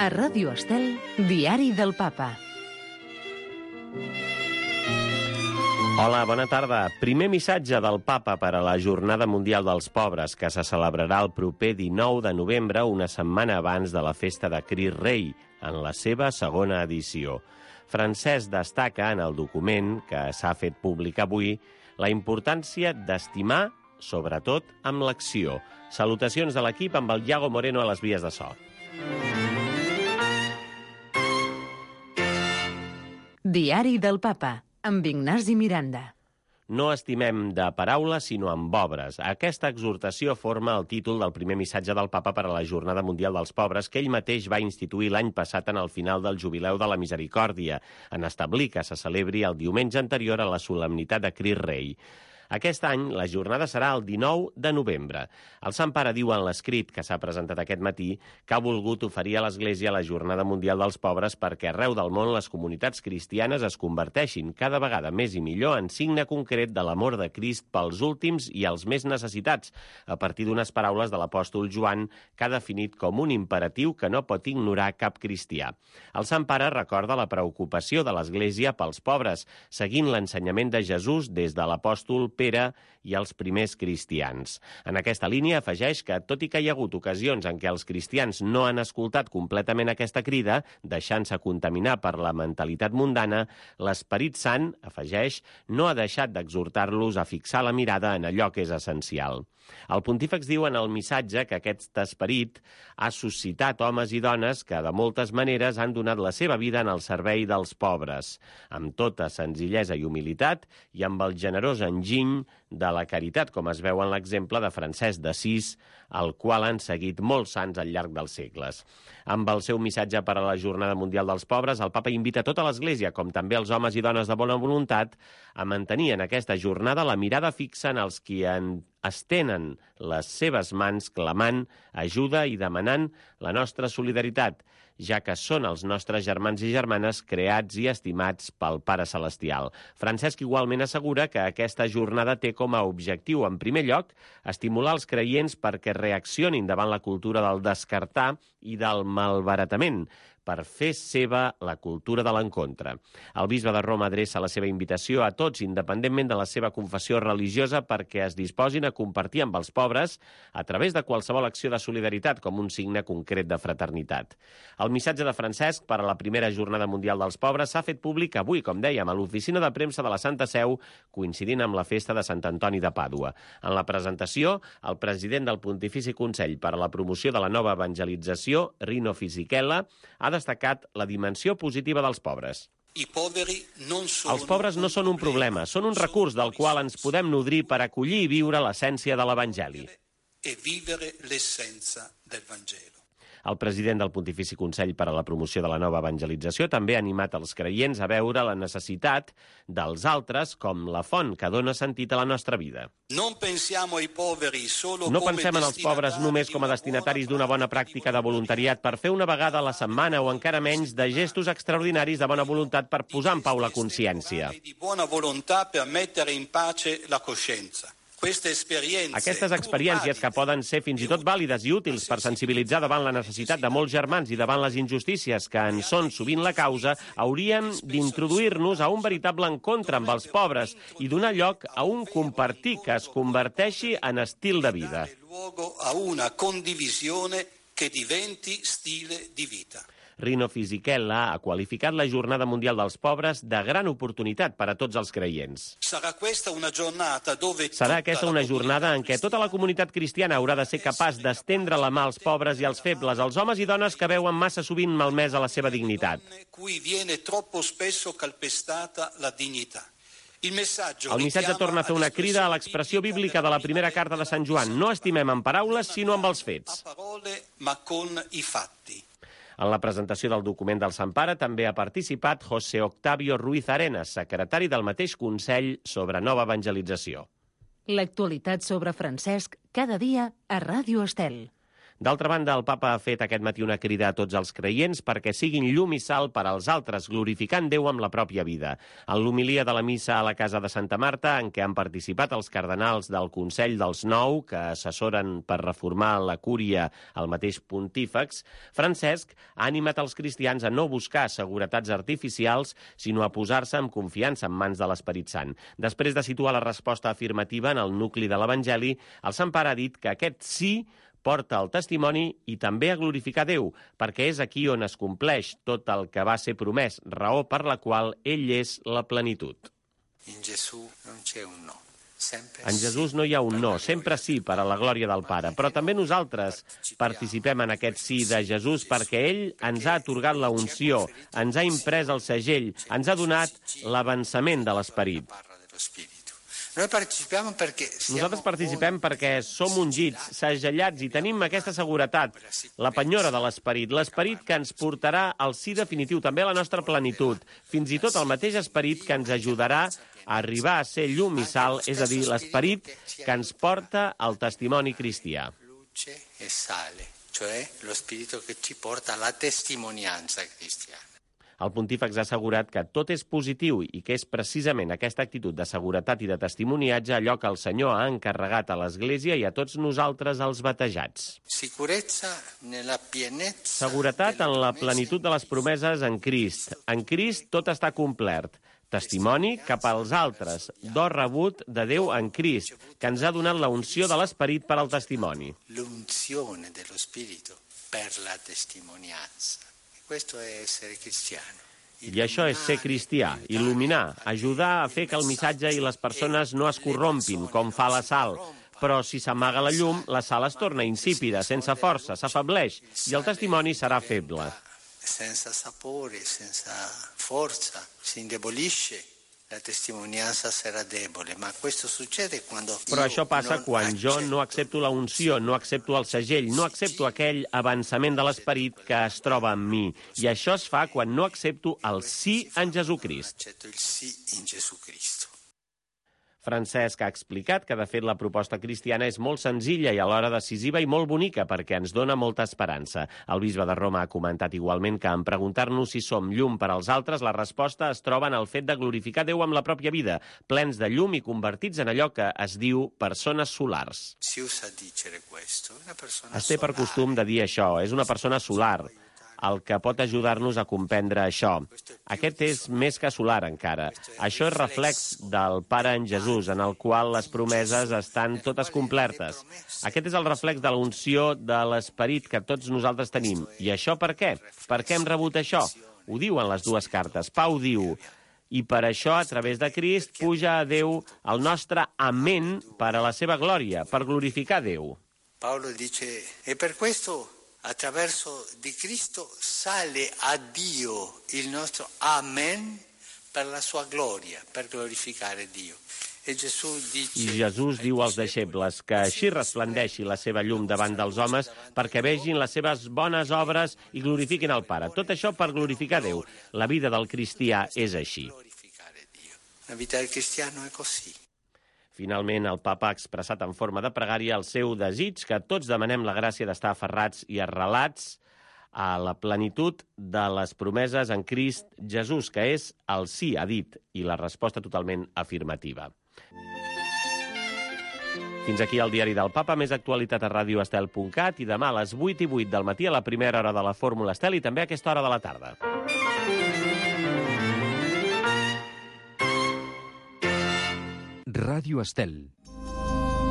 A Ràdio Estel, Diari del Papa. Hola, bona tarda. Primer missatge del Papa per a la Jornada Mundial dels Pobres, que se celebrarà el proper 19 de novembre, una setmana abans de la festa de Crist Rei, en la seva segona edició. Francesc destaca en el document, que s'ha fet públic avui, la importància d'estimar, sobretot, amb l'acció. Salutacions de l'equip amb el Iago Moreno a les vies de so. Diari del Papa, amb Ignasi Miranda. No estimem de paraules, sinó amb obres. Aquesta exhortació forma el títol del primer missatge del Papa per a la Jornada Mundial dels Pobres, que ell mateix va instituir l'any passat en el final del Jubileu de la Misericòrdia, en establir que se celebri el diumenge anterior a la solemnitat de Crist Rei. Aquest any, la jornada serà el 19 de novembre. El Sant Pare diu en l'escrit que s'ha presentat aquest matí que ha volgut oferir a l'Església la Jornada Mundial dels Pobres perquè arreu del món les comunitats cristianes es converteixin cada vegada més i millor en signe concret de l'amor de Crist pels últims i els més necessitats, a partir d'unes paraules de l'apòstol Joan que ha definit com un imperatiu que no pot ignorar cap cristià. El Sant Pare recorda la preocupació de l'Església pels pobres, seguint l'ensenyament de Jesús des de l'apòstol Pere i els primers cristians. En aquesta línia afegeix que, tot i que hi ha hagut ocasions en què els cristians no han escoltat completament aquesta crida, deixant-se contaminar per la mentalitat mundana, l'Esperit Sant, afegeix, no ha deixat d'exhortar-los a fixar la mirada en allò que és essencial. El pontífex diu en el missatge que aquest esperit ha suscitat homes i dones que de moltes maneres han donat la seva vida en el servei dels pobres, amb tota senzillesa i humilitat i amb el generós enginy de la caritat, com es veu en l'exemple de Francesc d'Assís, el qual han seguit molts sants al llarg dels segles. Amb el seu missatge per a la Jornada Mundial dels Pobres, el Papa invita tota l'Església, com també els homes i dones de bona voluntat, a mantenir en aquesta jornada la mirada fixa en els qui estenen les seves mans clamant ajuda i demanant la nostra solidaritat, ja que són els nostres germans i germanes creats i estimats pel Pare Celestial. Francesc igualment assegura que aquesta jornada té com a objectiu, en primer lloc, estimular els creients perquè reaccionin davant la cultura del descartar i del malbaratament, per fer seva la cultura de l'encontre. El bisbe de Roma adreça la seva invitació a tots, independentment de la seva confessió religiosa, perquè es disposin a compartir amb els pobres a través de qualsevol acció de solidaritat com un signe concret de fraternitat. El missatge de Francesc per a la primera Jornada Mundial dels Pobres s'ha fet públic avui, com dèiem, a l'oficina de premsa de la Santa Seu, coincidint amb la festa de Sant Antoni de Pàdua. En la presentació, el president del Pontifici Consell per a la Promoció de la Nova Evangelització, Rino Fisichella, ha destacat la dimensió positiva dels pobres. Els pobres no són un problema, són un recurs del qual ens podem nodrir per acollir i viure l'essència de l'Evangeli. El president del Pontifici Consell per a la Promoció de la Nova Evangelització també ha animat els creients a veure la necessitat dels altres com la font que dona sentit a la nostra vida. No pensem en els pobres només com a destinataris d'una bona pràctica de voluntariat per fer una vegada a la setmana o encara menys de gestos extraordinaris de bona voluntat per posar en pau la consciència. Aquestes experiències, que poden ser fins i tot vàlides i útils per sensibilitzar davant la necessitat de molts germans i davant les injustícies que en són sovint la causa, haurien d'introduir-nos a un veritable encontre amb els pobres i donar lloc a un compartir que es converteixi en estil de vida. Rino Fisichella ha qualificat la Jornada Mundial dels Pobres de gran oportunitat per a tots els creients. Serà aquesta una jornada en què tota la comunitat cristiana haurà de ser capaç d'estendre la mà als pobres i als febles, als homes i dones que veuen massa sovint malmesa la seva dignitat. El missatge torna a fer una crida a l'expressió bíblica de la primera carta de Sant Joan. No estimem amb paraules, sinó amb els fets. En la presentació del document del Sant Pare també ha participat José Octavio Ruiz Arenas, secretari del mateix Consell sobre Nova Evangelització. L'actualitat sobre Francesc cada dia a Ràdio Estel. D'altra banda, el papa ha fet aquest matí una crida a tots els creients perquè siguin llum i sal per als altres, glorificant Déu amb la pròpia vida. En l'homilia de la missa a la Casa de Santa Marta, en què han participat els cardenals del Consell dels 9, que assessoren per reformar la cúria al mateix pontífex, Francesc ha animat els cristians a no buscar seguretats artificials, sinó a posar-se amb confiança en mans de l'Esperit Sant. Després de situar la resposta afirmativa en el nucli de l'Evangeli, el Sant Pare ha dit que aquest sí porta el testimoni i també a glorificar Déu, perquè és aquí on es compleix tot el que va ser promès, raó per la qual ell és la plenitud. En Jesús no hi ha un no, sempre sí, per a la glòria del Pare. Però també nosaltres participem en aquest sí de Jesús perquè ell ens ha atorgat la unció, ens ha imprès el segell, ens ha donat l'avançament de l'Esperit. Nosaltres participem perquè som ungits, segellats i tenim aquesta seguretat, la penyora de l'Esperit, l'Esperit que ens portarà al sí definitiu, també a la nostra plenitud, fins i tot el mateix Esperit que ens ajudarà a arribar a ser llum i sal, és a dir, l'Esperit que ens porta al testimoni cristià. Luce e sale, cioè lo spirito che ci porta alla testimonianza cristiana. El pontífex ha assegurat que tot és positiu i que és precisament aquesta actitud de seguretat i de testimoniatge allò que el Senyor ha encarregat a l'Església i a tots nosaltres els batejats. Seguretat en la plenitud de les promeses en Crist. En Crist tot està complert. Testimoni cap als altres, do rebut de Déu en Crist, que ens ha donat la unció de l'Esperit per al testimoni. L'unzione dello Spirito per la testimonianza. Questo è essere cristiano. I això és ser cristià, il·luminar, ajudar a fer que el missatge i les persones no es corrompin, com fa la sal. Però si s'amaga la llum, la sal es torna insípida, sense força, s'afableix, i el testimoni serà feble. Senza sapore, senza forza, si indebolisce. La testimonianza sarà debole, ma questo succede quando... Però això passa quan jo no accepto la unció, no accepto el segell, no accepto aquell avançament de l'Esperit que es troba en mi. I això es fa quan no accepto el sí en Jesucrist. Accetto il sì in Gesù Cristo. Francesc ha explicat que, de fet, la proposta cristiana és molt senzilla i alhora decisiva i molt bonica perquè ens dona molta esperança. El bisbe de Roma ha comentat igualment que en preguntar-nos si som llum per als altres, la resposta es troba en el fet de glorificar Déu amb la pròpia vida, plens de llum i convertits en allò que es diu persones solars. Es té per costum de dir això, és una persona solar, el que pot ajudar-nos a comprendre això. Aquest és més que solar encara. Això és reflex del Pare en Jesús, en el qual les promeses estan totes complertes. Aquest és el reflex de l'unció de l'Esperit que tots nosaltres tenim. I això per què? Per què hem rebut això? Ho diuen les dues cartes. Pau diu: i per això, a través de Crist, puja a Déu el nostre amén per a la seva glòria, per glorificar Déu. Paolo dice, e per questo attraverso di Cristo sale a Dio il nostro amen per la sua gloria, per glorificare Dio. I Jesús diu als deixebles que així resplendeixi la seva llum davant dels homes perquè vegin les seves bones obres i glorifiquin el Pare. Tot això per glorificar Déu. La vida del cristià és així. La vida del cristiano è così. Finalment, el papa ha expressat en forma de pregària el seu desig que tots demanem la gràcia d'estar aferrats i arrelats a la plenitud de les promeses en Crist Jesús, que és el sí, ha dit, i la resposta totalment afirmativa. Fins aquí el diari del Papa, més actualitat a radioestel.cat i demà a les 8:08 del matí a la primera hora de la Fórmula Estel i també a aquesta hora de la tarda. Ràdio Estel.